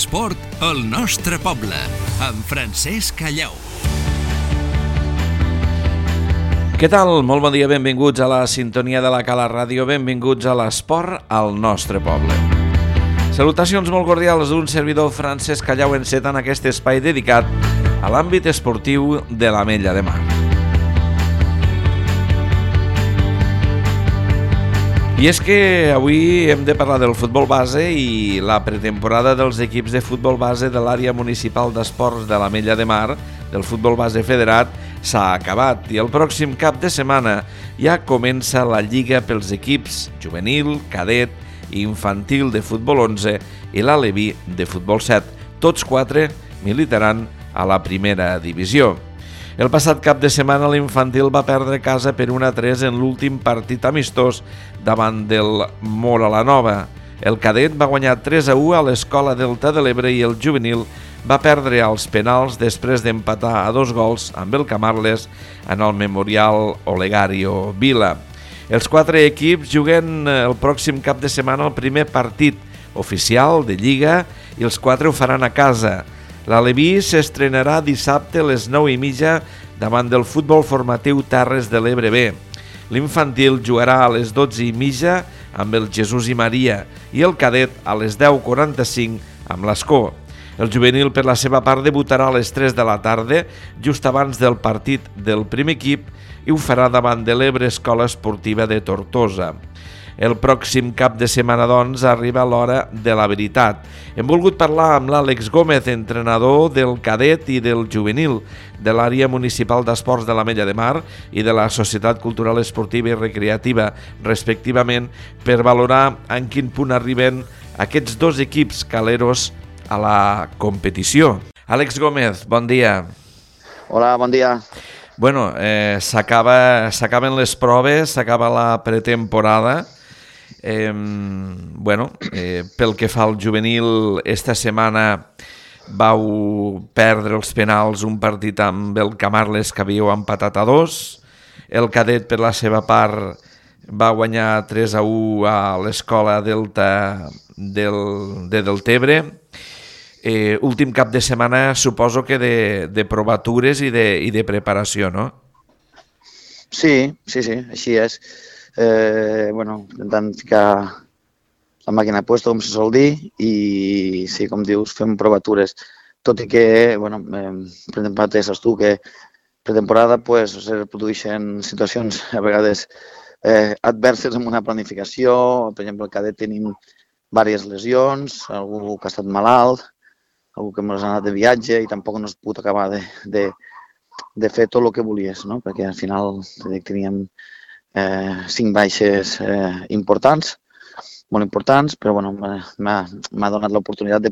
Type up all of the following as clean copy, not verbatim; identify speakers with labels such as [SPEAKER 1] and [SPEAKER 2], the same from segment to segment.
[SPEAKER 1] l'esport al nostre poble, amb Francesc Callau.
[SPEAKER 2] Què tal? Molt bon dia, benvinguts a la sintonia de la Cala Ràdio, benvinguts a l'esport al nostre poble. Salutacions molt cordials d'un servidor Francesc Callau encetant aquest espai dedicat a l'àmbit esportiu de l'Ametlla de Mar. I és que avui hem de parlar del futbol base i la pretemporada dels equips de futbol base de l'àrea municipal d'esports de l'Ametlla de Mar, del futbol base federat, s'ha acabat i el pròxim cap de setmana ja comença la lliga pels equips juvenil, cadet i infantil de futbol 11 i l'Aleví de futbol 7. Tots 4 militaran a la primera divisió. El passat cap de setmana l'infantil va perdre casa per 1-3 en l'últim partit amistós davant del Móra la Nova. El cadet va guanyar 3-1 a l'Escola Delta de l'Ebre i el juvenil va perdre als penals després d'empatar a 2 gols amb el Camarles en el Memorial Olegario Vila. Els 4 equips juguen el pròxim cap de setmana el primer partit oficial de Lliga i els 4 ho faran a casa. L'Aleví s'estrenarà dissabte a les 9:30 davant del futbol formatiu Terres de l'Ebre B. L'infantil jugarà a les 12:30 amb el Jesús i Maria i el cadet a les 10:45 amb l'Escó. El juvenil, per la seva part, debutarà a les 3 de la tarda, just abans del partit del primer equip, i ho farà davant de l'Ebre Escola Esportiva de Tortosa. El pròxim cap de setmana, doncs, arriba l'hora de la veritat. Hem volgut parlar amb l'Àlex Gómez, entrenador del cadet i del juvenil de l'àrea municipal d'esports de l'Ametlla de Mar i de la Societat Cultural Esportiva i Recreativa, respectivament, per valorar en quin punt arriben aquests dos equips caleros a la competició. Àlex Gómez, bon dia.
[SPEAKER 3] Hola, bon dia.
[SPEAKER 2] Bueno, s'acaben les proves, s'acaba la pretemporada. Pel que fa al juvenil, esta setmana vau perdre els penals un partit amb el Camarles que havíeu empatat a 2. El cadet, per la seva part, va guanyar 3-1 a l'Escola Delta de Deltebre. Últim cap de setmana, suposo que de provatures i de preparació, no?
[SPEAKER 3] Sí, així és. Intentant ficar la màquina a puesto, com se sol dir, i sí, com dius, fem provatures. Tot i que, pretemporada, ja saps tu, que pretemporada es produeixen situacions a vegades adverses amb una planificació. Per exemple, al cadet tenim diverses lesions, algú que ha estat malalt, algú que ens ha anat de viatge i tampoc no es pot acabar de fer tot el que volies, no? Perquè al final teníem 5 baixes importants, molt importants, però m'ha donat l'oportunitat de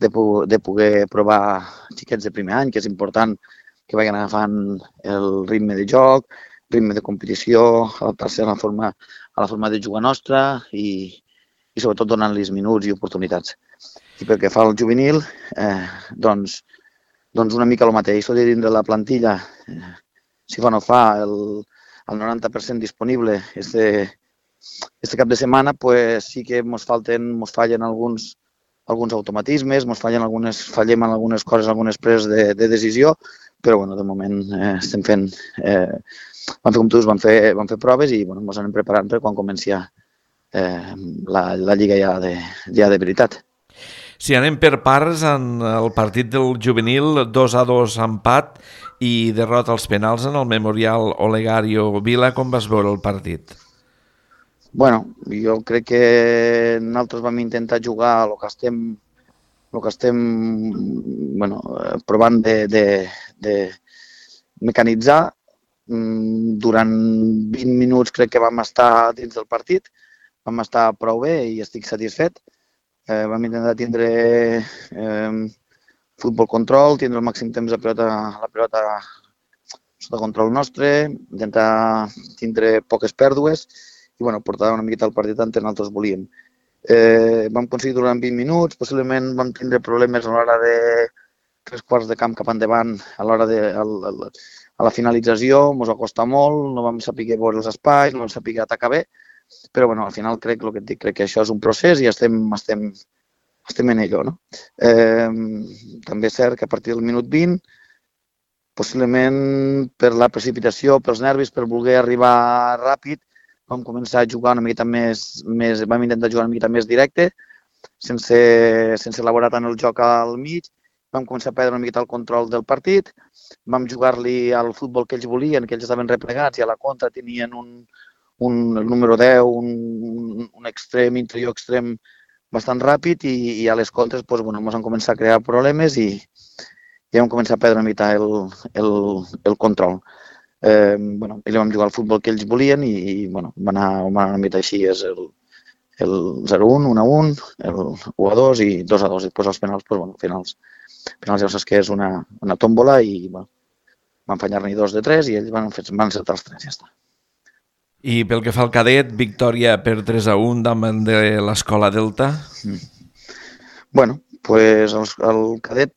[SPEAKER 3] poder provar xiquets de primer any, que és important que vagin agafant el ritme de joc, ritme de competició, adaptar-se a la forma de jugar nostra i sobretot donant-los minuts i oportunitats. I pel que fa al juvenil, doncs una mica el mateix. Tot i dintre la plantilla, si fa o no fa, el 90% disponible este cap de setmana, pues sí que ens fallen alguns automatismes, fallem en algunes coses, algunes preses de decisió, però de moment estem fent, vam fer com tu dius, vam fer proves i ens anem preparant per quan comenci la lliga ja de veritat.
[SPEAKER 2] Si anem per parts, en el partit del juvenil, 2-2 empat i derrota als penals en el Memorial Olegario Vila. Com vas veure el partit?
[SPEAKER 3] Jo crec que nosaltres vam intentar jugar el que estem provant de mecanitzar. Durant 20 minuts crec que vam estar dins del partit, vam estar prou bé i estic satisfet. Vam intentar tindre futbol control, tindre el màxim temps la pilota sota control nostre, intentar tindre poques pèrdues i portar una miqueta el partit on nosaltres volíem. Vam aconseguir durant 20 minuts, possiblement vam tindre problemes a l'hora de 3/4 de camp cap endavant, a la finalització, ens va costar molt, no vam saber veure els espais, no vam saber atacar bé, però al final crec que això és un procés i estem estem en ello, no? També és cert que a partir del minut 20, possiblement per la precipitació, pels nervis, per voler arribar ràpid, vam començar a jugar una miqueta vam intentar jugar una miqueta més directe, sense elaborar tant el joc al mig, vam començar a perdre una miqueta el control del partit, vam jugar-li al futbol que ells volien, que ells estaven replegats i a la contra tenien el número 10, un extrem, interior extrem bastant ràpid i a les contres ens van començar a crear problemes i vam començar a perdre una mica el control. I vam jugar al futbol que ells volien i va anar una mica així, és el 0-1, 1-1, el 1-2 i 2-2. I després els penals, finals ja saps que és una tòmbola i van fallar-n'hi 2 de 3 i ells van encertar els 3, ja està.
[SPEAKER 2] I pel que fa al cadet, victòria per 3-1 davant de l'Escola Delta?
[SPEAKER 3] El cadet,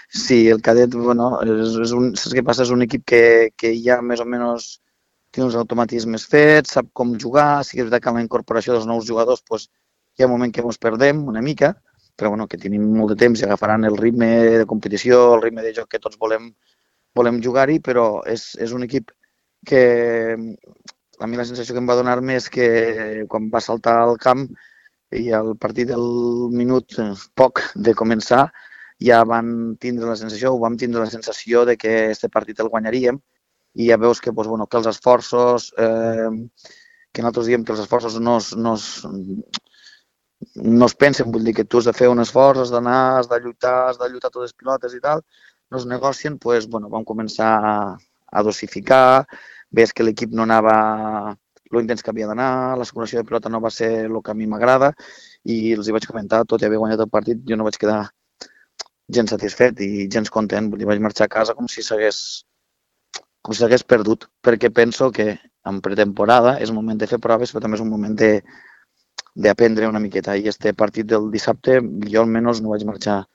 [SPEAKER 3] sí, el cadet, saps què passa? És un equip que ja més o menys té uns automatismes fets, sap com jugar, sí que és veritat que amb la incorporació dels nous jugadors hi ha un moment que ens perdem una mica, però que tenim molt de temps i agafaran el ritme de competició, el ritme de joc que tots volem jugar-hi, però és un equip que a mi la sensació que em va donar-me és que quan va saltar al camp i al partit del minut poc de començar ja vam tindre la sensació de que aquest partit el guanyaríem i ja veus que els esforços, que nosaltres diem que els esforços no es pensen, vull dir que tu has de fer un esforç, has d'anar, has de lluitar totes les pilotes i tal, no es negocien, vam començar a dosificar, ves que l'equip no anava lo intens que havia d'anar, la circulació de pilota no va ser el que a mi m'agrada i els hi vaig comentar, tot i haver guanyat el partit, jo no vaig quedar gens satisfet i gens content, vull dir, vaig marxar a casa com si s'hagués perdut, perquè penso que en pretemporada és un moment de fer proves, però també és un moment d'aprendre una miqueta. I este partit del dissabte, jo almenys no vaig marxar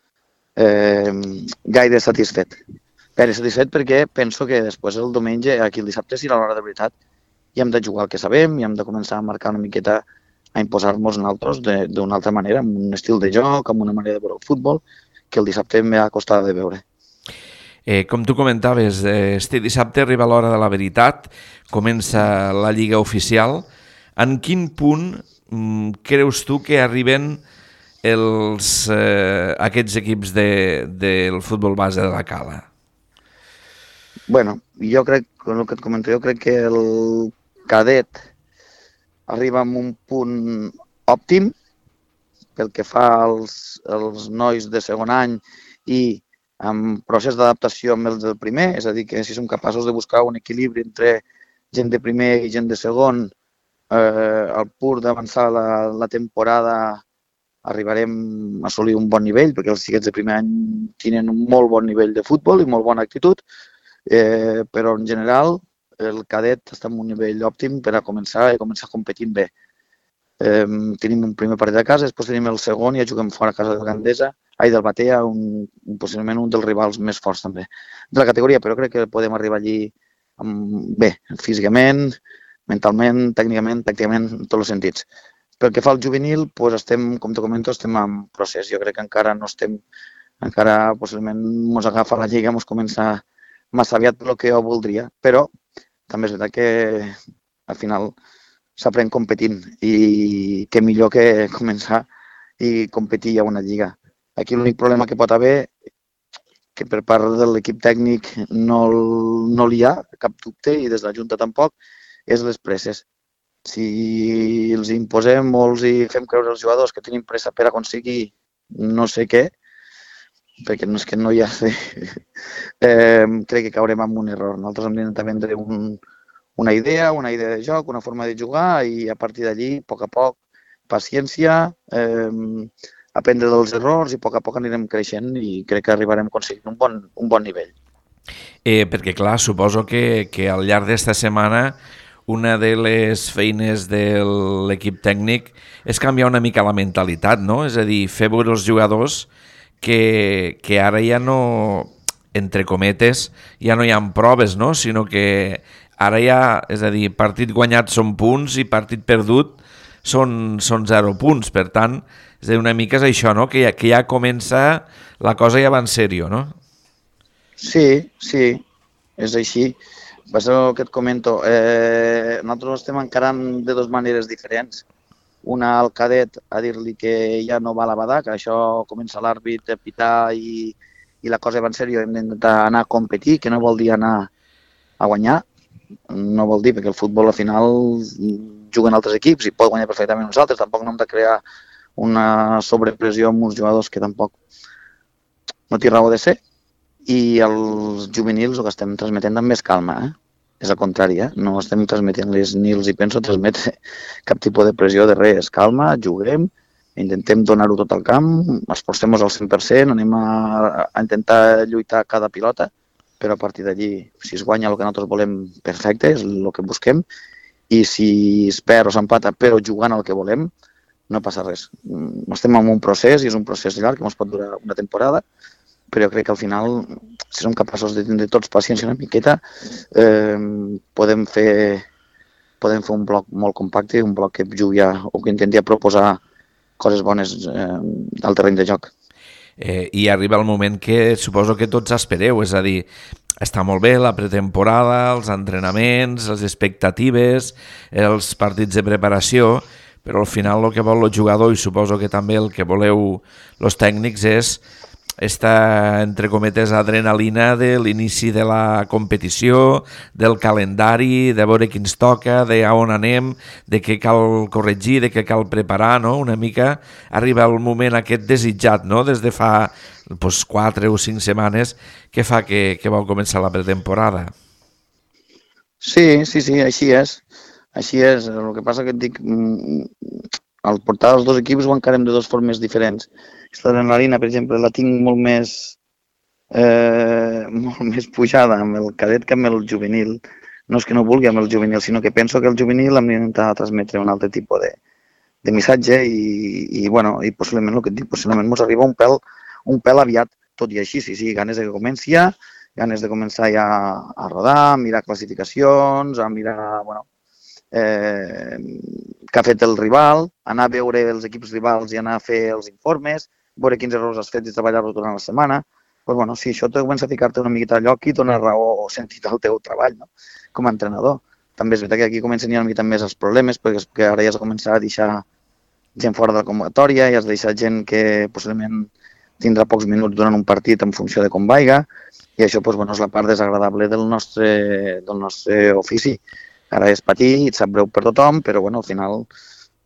[SPEAKER 3] gaire satisfet. Gaire satisfet perquè penso que després el diumenge, aquí el dissabte, serà l'hora de veritat i hem de jugar el que sabem i hem de començar a marcar una miqueta, a imposar-nos nosaltres d'una altra manera, amb un estil de joc, amb una manera de veure el futbol, que el dissabte m'ha costat de veure.
[SPEAKER 2] Com tu comentaves, este dissabte arriba l'hora de la veritat, comença la Lliga oficial. En quin punt creus tu que arriben aquests equips del futbol base de la Cala?
[SPEAKER 3] Jo crec, el que et comento, jo crec que el cadet arriba a un punt òptim pel que fa als nois de segon any i amb procés d'adaptació amb els del primer, és a dir, que si som capaços de buscar un equilibri entre gent de primer i gent de segon, al punt d'avançar la temporada arribarem a assolir un bon nivell, perquè els xiquets de primer any tenen un molt bon nivell de futbol i molt bona actitud, però en general el cadet està en un nivell òptim per a començar competint bé. Tenim un primer partit a casa, després tenim el segon i ja juguem fora a casa del Batea, possiblement un dels rivals més forts també de la categoria, però crec que podem arribar allí bé, físicament, mentalment, tècnicament, tàcticament, en tots els sentits. Pel que fa al juvenil, estem, com te comento, estem en procés. Jo crec que encara no estem, encara possiblement ens agafa la lliga, ens comença massa aviat el que jo voldria, però també és veritat que al final s'aprèn competint i què millor que començar i competir a una lliga. Aquí l'únic problema que pot haver, que per part de l'equip tècnic no hi ha cap dubte i des de la Junta tampoc, és les presses. Si els imposem o els fem creure als jugadors que tenim pressa per aconseguir no sé què, perquè no és que no hi ha... crec que caurem en un error. Nosaltres hem d'intentar vendre una idea de joc, una forma de jugar i a partir d'allí, a poc a poc, paciència, aprendre dels errors i a poc anirem creixent i crec que arribarem a aconseguir un bon nivell.
[SPEAKER 2] Perquè, clar, suposo que al llarg d'esta setmana una de les feines de l'equip tècnic és canviar una mica la mentalitat, no? És a dir, fer veure els jugadors que ara ja no, entre cometes, ja no hi ha proves, no? Sinó que ara ja, és a dir, partit guanyat són punts i partit perdut són 0 punts. Per tant, És a dir, una mica és això, no? Que ja comença, la cosa ja va en sèrio, no?
[SPEAKER 3] Sí, és així. Per això que et comento, nosaltres estem encarant de dues maneres diferents. Una al cadet a dir-li que ja no va a la badà, que això comença l'àrbit a pitar i la cosa va en sèrio, hem d'intentar anar a competir, que no vol dir anar a guanyar, no vol dir, perquè el futbol al final juguen altres equips i pot guanyar perfectament nosaltres, tampoc no hem de crear una sobrepressió amb uns jugadors que tampoc no té raó de ser, i els juvenils el que estem transmetent també és calma, és al contrari, no estem transmetent-les ni els hi penso transmetre cap tipus de pressió de res, calma, juguem, intentem donar-ho tot al camp, esforcem-nos al 100%, anem a intentar lluitar cada pilota, però a partir d'allí, si es guanya el que nosaltres volem, perfecte, és el que busquem, i si es perd o s'empata, però jugant el que volem, no passa res. Estem en un procés, i és un procés llarg, que ens pot durar una temporada, però jo crec que al final, si som capaços de tindre tots paciència una miqueta, podem fer un bloc molt compacte, un bloc que jugui o que intenti proposar coses bones al terreny de joc.
[SPEAKER 2] I arriba el moment que suposo que tots espereu, és a dir, està molt bé la pretemporada, els entrenaments, les expectatives, els partits de preparació, però al final el que vol el jugador, i suposo que també el que voleu els tècnics, és esta, entre cometes, adrenalina de l'inici de la competició, del calendari, de veure qui ens toca, de on anem, de què cal corregir, de què cal preparar, no? Una mica arriba el moment aquest desitjat, no? Des de fa 4 o 5 setmanes que fa que vol començar la pretemporada.
[SPEAKER 3] Sí, així és. Així és. El que passa que et dic, al portar els dos equips ho encarem de dues formes diferents. L'adrenalina, per exemple, la tinc molt més pujada amb el cadet que amb el juvenil. No és que no vulgui amb el juvenil, sinó que penso que el juvenil hem d'intentar transmetre un altre tipus de missatge i possiblement el que et dic, possiblement ens arriba un pèl aviat, tot i així, sí, ganes de que comenci ja, ganes de començar ja a rodar, a mirar classificacions, a mirar, què ha fet el rival, anar a veure els equips rivals i anar a fer els informes, veure quins errors has fet i treballar-los durant la setmana. Si això te comença a ficar-te una miqueta a lloc i dona raó o sentit al teu treball, no? Com a entrenador. També és veritat que aquí comencen ja una mica més els problemes, perquè ara ja has de començar a deixar gent fora de la convocatòria, ja has de deixar gent que possiblement tindrà pocs minuts durant un partit en funció de com vaiga, i això és la part desagradable del nostre ofici. Ara és patir, et sap greu per tothom, però al final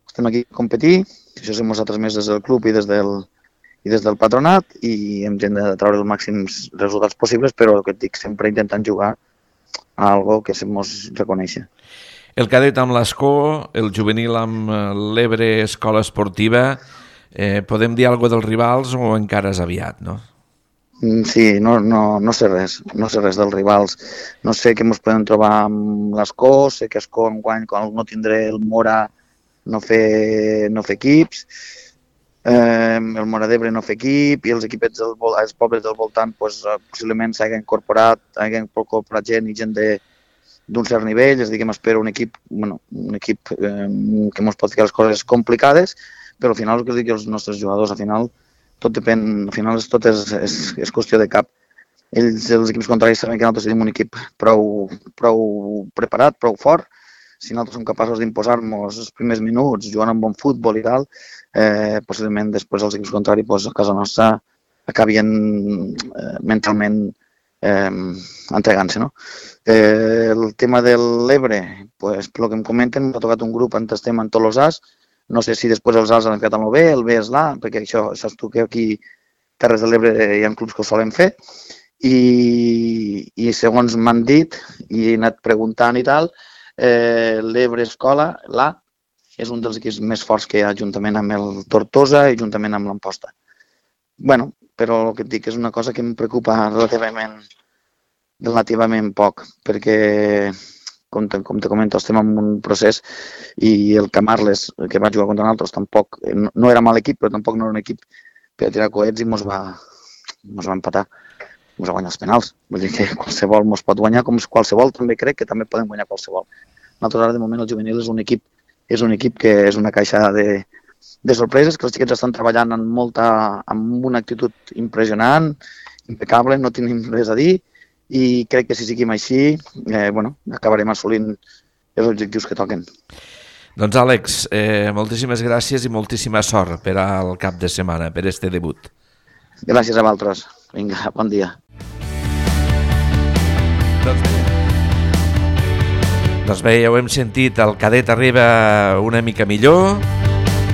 [SPEAKER 3] estem aquí a competir, això som nosaltres més des del club i des del patronat, i hem de treure els màxims resultats possibles, però el que et dic, sempre intentant jugar a algo que se'ns reconeixi.
[SPEAKER 2] El cadet amb l'Escó, el juvenil amb l'Ebre Escola Esportiva, podem dir alguna cosa dels rivals o encara és aviat, no?
[SPEAKER 3] Sí, no sé res dels rivals. No sé què ens podem trobar amb l'Escó, sé que Escó enguany, quan no tindré el Mora, no fer equips, el Mora d'Ebre no fer equip, i els equipets els pobles del voltant possiblement s'hagin incorporat gent i gent d'un cert nivell, és a dir, que m'espero un equip que ens pot ficar les coses complicades, però al final el que dic els nostres jugadors, al final tot depèn, al final tot és qüestió de cap. Els equips contraris saben que nosaltres tenim un equip prou preparat, prou fort. Si nosaltres som capaços d'imposar-nos els primers minuts jugant amb bon futbol i tal, possiblement després els equips contraris a casa nostra acabien mentalment entregant-se, no? El tema de l'Ebre, pel que em comenten, m'ha tocat un grup on estem en tots els As. No sé si després els As han ficat amb el B, el B és l'A, perquè això, saps tu que aquí Terres de l'Ebre hi ha clubs que ho solen fer, i segons m'han dit, i he anat preguntant i tal, l'Ebre Escola, l'A, és un dels equips més forts que hi ha juntament amb el Tortosa i juntament amb l'Amposta. Però el que et dic és una cosa que em preocupa relativament poc, perquè, com te comento, estem en un procés i el Camarles, que va jugar contra nosaltres, tampoc, no era mal equip, però tampoc no era un equip per tirar coets i ens va empatar, ens va guanyar els penals. Vull dir que qualsevol ens pot guanyar, com qualsevol també crec que també podem guanyar qualsevol. Nosaltres ara de moment el juvenil és un equip que és una caixa de de sorpreses, que els xiquets estan treballant amb una actitud impressionant, impecable, no tenim res a dir, i crec que si seguim així, acabarem assolint els objectius que toquen.
[SPEAKER 2] Doncs Àlex, moltíssimes gràcies i moltíssima sort per al cap de setmana, per este debut.
[SPEAKER 3] Gràcies a vosaltres. Vinga, bon dia.
[SPEAKER 2] Doncs bé, ja ho hem sentit, el cadet arriba una mica millor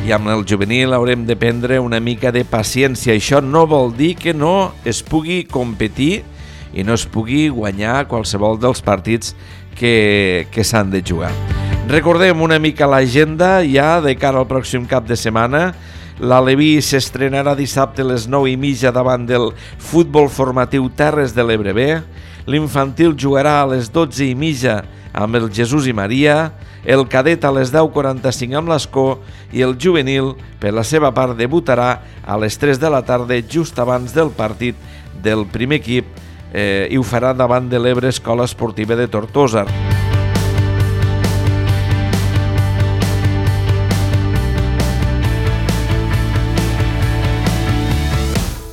[SPEAKER 2] i amb el juvenil haurem de prendre una mica de paciència. Això no vol dir que no es pugui competir i no es pugui guanyar qualsevol dels partits que s'han de jugar. Recordem una mica l'agenda ja de cara al pròxim cap de setmana. L'Aleví s'estrenarà dissabte a les 9:30 davant del Futbol Formatiu Terres de l'Ebre B. L'infantil jugarà a les 12:30 amb el Jesús i Maria, el cadet a les 10:45 amb l'Escó i el juvenil, per la seva part, debutarà a les 3 de la tarda just abans del partit del primer equip i ho farà davant de l'Ebre Escola Esportiva de Tortosa.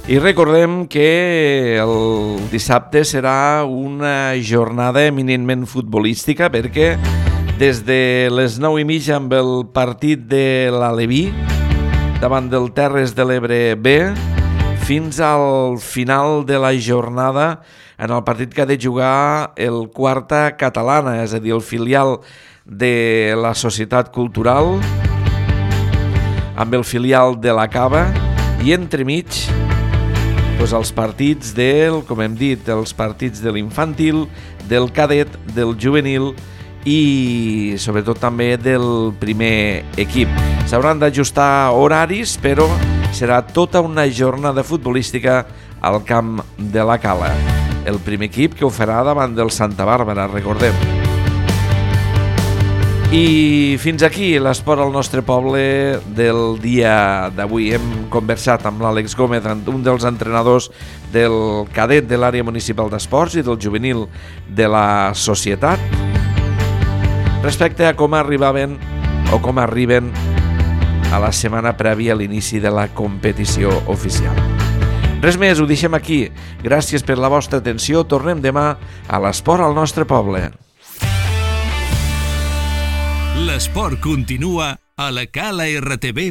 [SPEAKER 2] I recordem que el dissabte serà una jornada eminentment futbolística perquè des de les 9:30 amb el partit de l'Aleví davant del Terres de l'Ebre B fins al final de la jornada en el partit que ha de jugar el Quarta Catalana, és a dir, el filial de la Societat Cultural amb el filial de la Cava i entremig els partits com hem dit, els partits de l'infantil, del cadet, del juvenil i sobretot també del primer equip. S'hauran d'ajustar horaris, però serà tota una jornada futbolística al camp de la Cala. El primer equip que ho farà davant del Santa Bàrbara, recordem. I fins aquí l'esport al nostre poble del dia d'avui. Hem conversat amb l'Àlex Gómez, un dels entrenadors del cadet de l'àrea municipal d'esports i del juvenil de la societat, respecte a com arriben a la setmana prèvia a l'inici de la competició oficial. Res més, ho deixem aquí. Gràcies per la vostra atenció. Tornem demà a l'esport al nostre poble.
[SPEAKER 1] L'esport continua a la calartv.cat.